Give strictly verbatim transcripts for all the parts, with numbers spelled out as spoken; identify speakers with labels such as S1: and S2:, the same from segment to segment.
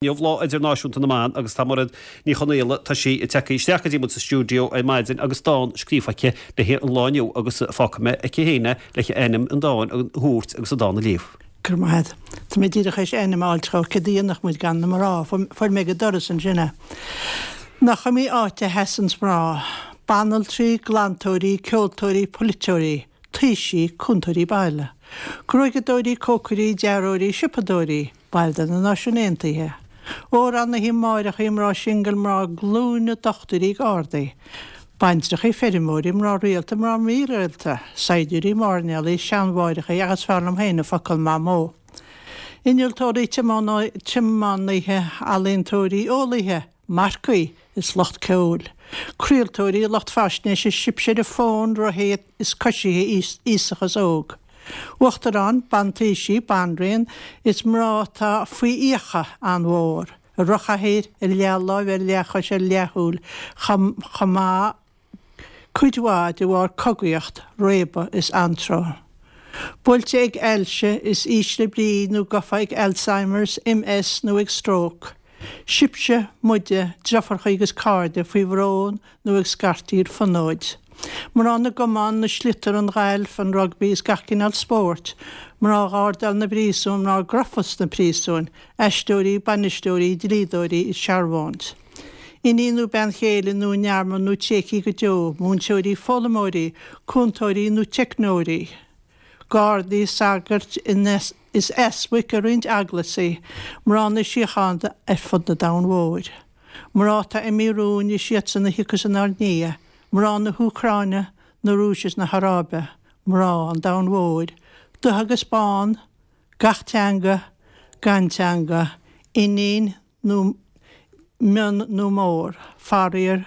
S1: Inniu Lá Idirnáisiúnta na mBan agus tá Mairéad Ní Chonaola, tá sí tagtha isteach go dtí muid sa stiúideo ar maidin agus dán scríofa aici le haghaidh an lá inniu agus fágfaidh mé aici féin é le ainm an dáin a thabhairt agus an dán a léamh.
S2: Go raibh maith agat. Tá mé díreach théis ainm a fháil tráth, céard a dhéanfadh muid gan na mná? Fuair mé ag an doras ansin é. Nach iomaí áit a sheasann mná, banaltraí, glantóirí, ceoltóirí, polaiteoirí, taoisigh, cúntóirí baile, gruaigeadóirí, cócairí, dearthóirí, siopadóirí, baill de na Náisiúin Aontaithe, amhránaithe, máithreacha, mná singil, mná glúine, dochtúirí, gardaí, baintreacha, feirmeoirí, mná rialta, mná mírialta, saighdiúirí, mairnéalaigh, seanmháithreacha agus fearr liom féin an focal mamó. Innealtóirí, tiománaithe, ealaíontóirí, eolaithe, marcaigh is lucht ceoil, craoltóirí, lucht faisnéise, sibhse ar fón, rothaithe is coisithe, aosach is óg. Uachtarán, bantaoisigh, banríon, is mná atá faoi fhiacha an-mhór, ar rothlachathaoir, ar leathláimh, ar leathchois, ar leathshúil, chomh maith cuid mhaith de bharr cogaíocht, réabadh is antró. Buailte ag ailse is ísle brí nó gafa ag Alzheimer's, MS nó ag stróc. Sibhse, muide, deirfiúracha agus cairde faoi bhrón nó ag scairtíl fonóid. Mná na gcamán, na sliotar, an ghailf, an rugbaí is gach cineál spóirt, mná ghardáil na bpríosún, mná gafa sna príosúin, aisteoirí, bainisteoirí, dlíodóirí is searbhóint. Iníon nó bean chéile nó i ndearmad nó tréigthe go deo, múinteoirí, foghlaimeoirí, cúntóirí nó teicneoirí, gardaí, sagairt is easpaig i roinnt eaglaisí, mná na síochána ar fud na domhain mhóir. Mná atá imithe romhainn is iadsan a thiocfas inár ndiaidh, mná na hÚcráine, na Rúise is na hAráibe, mná an domhain mhóir, dubh agus bán, gach teanga, gan teanga, iníon nó mion nó mór, faraor,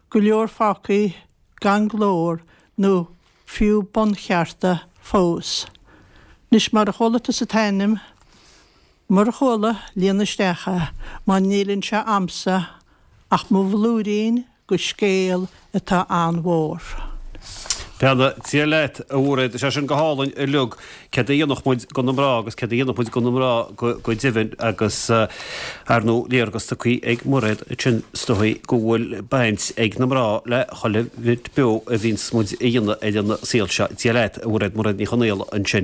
S2: go leor fágtha gan glór nó fiú bunchearta fós. Anois mar a chuala tusa t-ainm, mura chuala, líon isteach é, mar níl anseo a'msa ach mo bhlúirín de scéal atá an-mhór.
S1: Beannacht Dé leat, a Mhairéad. Tá sé sin go hálainn uilig. Céard a dhéanfadh muid gan na mná agus céard a dhéanfadh muid gan na mná go deimhin agus ar ndóigh léargas tugtha ag Mairéad ansin is dóigh go bhfuil baint ag na mná le chuile bhit beo a bhíonns muid a dhéanamh ar an saol seo. Dia leat, a Mhairéad, Mairéad Ní Chonaola ansin.